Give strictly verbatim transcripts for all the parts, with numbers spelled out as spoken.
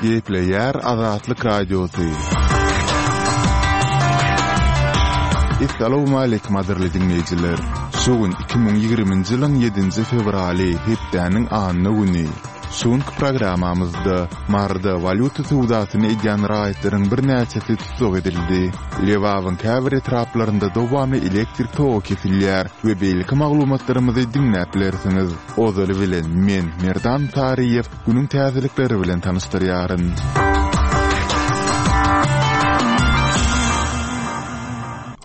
Gepleýär Azatlyk Radiosy. Essalawmaleýkim gadyrly diňleýjiler! Şu gün iki müň ýigriminji ýylyň ýedinji fewraly, hepdäniň anna güni. Şu günki programmamyzda Maryda walýuta söwdasyny edýän raýatlaryň birnäçesi tussag edildi. Lebabyň käbir etraplarynda dowamly elektrik togy kesilýär we beýleki maglumatlarymyzy diňläp bilersiňiz. Ozaly bilen, men, Merdan Saryýew, günüň täzelikleri bilen tanyşdyrýaryn.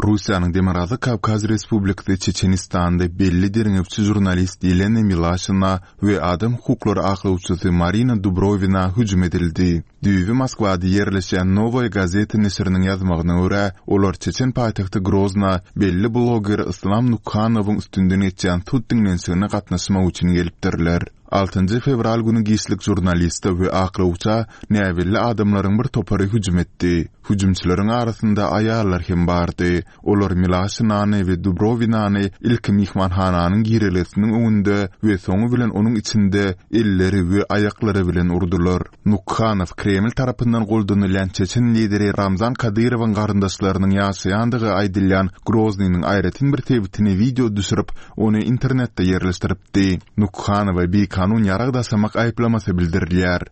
Russiýanyň Demirgazyk Kawkaz Respublikasy Çeçenistanda belli derňewçi žurnalist Ýelena Milaşina we adam hukuklary aklawçysy Marina Dubrowina hüjüm edildi. Düýbi Moskwada ýerleşýän Nowaýa gazeta neşiriniň ýazmagyna görä, olar çeçen paýtagty Grozna belli bloger Yslam Nukhanowyň üstünden geçýän sud diňlenişigine gatnaşmak üçin gelipdirler. Altynjy fewral güni giçlik žurnaliste we aklawça näbelli adamlaryň bir topary hüjüm etdi. Hüjümçileriň arasynda aýallar hem bardy. Olar Milaşinany we Dubrowinany ilki myhmanhananyň girelgesiniň öňünde we soňy bilen onuň içinde elleri we aýaklary bilen urdular. Nukhanow Kreml tarapyndan goldanylýan çeçen lideri Ramzan Kadyrowyň garyndaşlarynyň ýaşaýandygy aýdylýan Groznynyň aýratyn bir sebitini wideo düşürip, ony internetde ýerleşdiripdi. Nukhanowa bikanun ýarag daşamak aýyplamasy bildirilýär.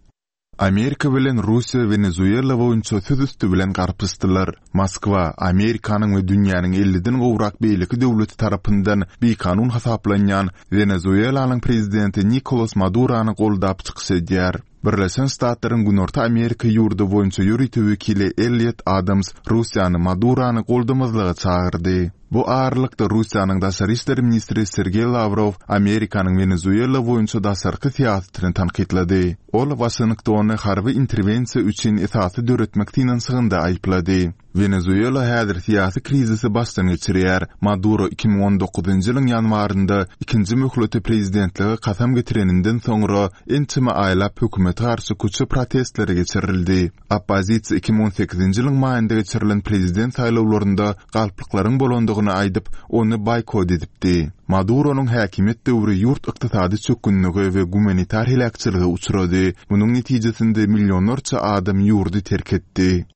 Amerika bilen Russiýa Wenezuela boýunça söz üsti bilen garpyşdylar. Moskwa, Amerikanyň we dünýäniň elliden gowrak beýleki döwleti tarapyndan bikanun hasaplanýan Wenezuelanyň prezidenti Nikolas Madurany goldap çykyş edýär. Birleşen Ştatlaryň Günorta Amerika ýurdy boýunça ýörite wekili Elliot Adams Russiýany Madurany goldamazlyga çagyrdy. Bu aralykda, Russiýanyň daşary işler ministri Sergeý Lawrow Amerikanyň Wenezuela boýunça daşarky syýasatyny tankytlady. Ol Waşingtony harby interwensiýa üçin esasy döretmek synanyşygynda aýyplady. Wenezuela häzir syýasy krizisi başdan geçirýär. Maduro iki müň on dokuzynjy ýylyň ýanwarynda ikinji möhlete prezidentlige kasam getireninden soňra ençeme aýlap hökümete garşy köçe protestleri geçirildi. Oppozisiýa iki müň on sekizinji ýylyň maýynda geçirilen prezident saýlawlarynda galplyklaryň bolandygyny aýdyp, ony boýkot edipdi. Maduronyň häkimiýet döwri ýurt ykdysady çökgünlige we gumanitar heläkçilige uçrady, munuň netijesinde millionlarça adam ýurdy terk etdi.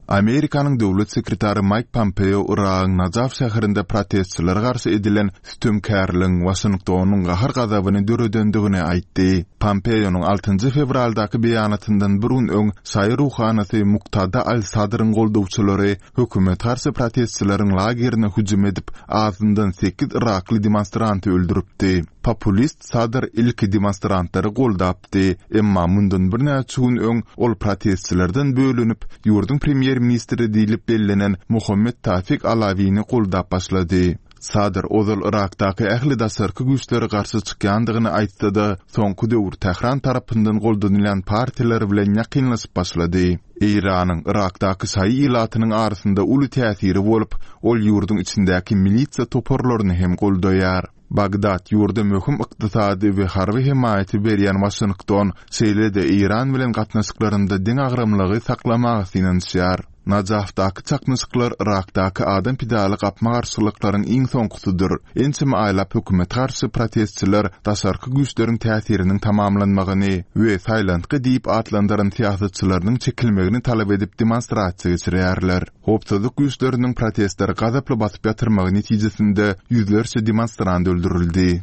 Amerikanyň döwlet sekretary Maýk Pompeo Yragyň Najaf şäherinde protestçilere garşy edilen sütemkärligiň Waşingtonyň gahar-gazabyny döredendigini aýtdy. Pompeonyň altynjy fewraldaky beýanatyndan bir gün öň şaýy ruhanysy Muktada al-Sadryň goldawçylary hökümete garşy protestçileriň lagerine hüjüm edip, azyndan sekiz yrakly demonstranty öldüripdi. Populist Sadr ilki demonstrantlary goldapdy, emma mundan birnäçe gün öň ol protestçilerden bölünip, ýurduň premýer-ministri diýlip bellenen Muhammet Tafik Alawini goldap başlady. Sadr ozal Yrakdaky ähli daşarky güýçlere garşy çykýandygyny aýtsa-da, soňky döwür Tähran tarapyndan goldanylýan partiýalar bilen ýakynlaşyp başlady. Eýranyň Yrakdaky şaýy ilatynyň arasynda uly täsiri bolup, ol ýurduň içindäki milisiýa toparlaryny hem goldaýar. Bagdat ýurda möhüm ykdysady we harby hemaýaty berýän Waşington, şeýle-de Eýran bilen gatnaşyklarynda deňagramlygy saklamaga synanyşýar. Najafdaky çaknyşyklar Yrakdaky adam pidaly gapma-garşylyklaryň iň soňkusydyr. Ençeme aýlap hökümete garşy protestçiler daşarky güýçleriň täsiriniň tamamlanmagyny we saýlantgy diýip atlandyran syýasatçylarynyň çekilmegini talap edip demonstrasiýa geçirýärler. Howpsuzlyk güýçleriniň protestleri gazaply basyp ýatyrmagy netijesinde ýüzlerçe demonstrant öldürildi.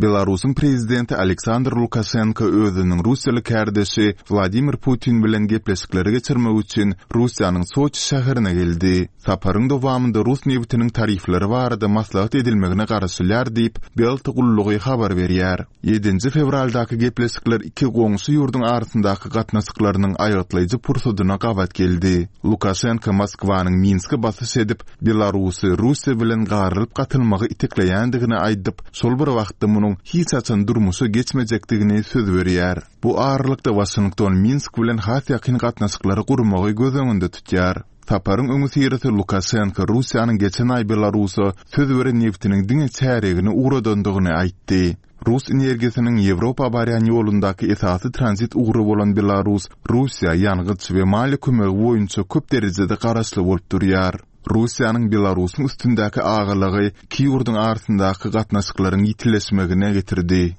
Belarusyň prezidenti Aleksandr Lukaşenko özüniň russiýaly kärdeşi Wladimir Putin bilen gepleşikleri geçirmek üçin Russiýanyň Soçi şäherine geldi. Saparyň dowamynda rus nebitiniň tarifleri barada maslahat edilmegine garaşylýar diýip, Belta gullugy habar berýär. Ýedinji fewraldaky gepleşikler iki goňşy ýurduň arasyndaky gatnaşyklarynyň aýgytlaýjy pursadyna gabat geldi. Lukaşenko Moskwanyň Minske basyş edip, Belarusy Russiýa bilen garylyp-gatylmagy itekleýändigini aýdyp, şol bir wagtda munuň hiç haçan durmuşa geçmejekdigini söz berýär. Bu aralykda Waşington Minsk bilen has ýakyn gatnaşyklary gurmagy göz öňünde tutýar. Saparyň öňüsyrasy Lukaşenko Russiýanyň geçen aý Belarusa söz beren nebtiniň diňe çärýegini ugradandygyny aýtdy. Rus energiýasynyň Ýewropa barýan ýolundaky esasy tranzit ugry bolan Belarus Russiýa ýangyç we maliýe kömegi boýunça köp derejede garaşly bolup durýar. Russiýanyň Belarusyň üstündäki agalygy iki ýurduň arasyndaky gatnaşyklaryň ýitileşmegine getirdi.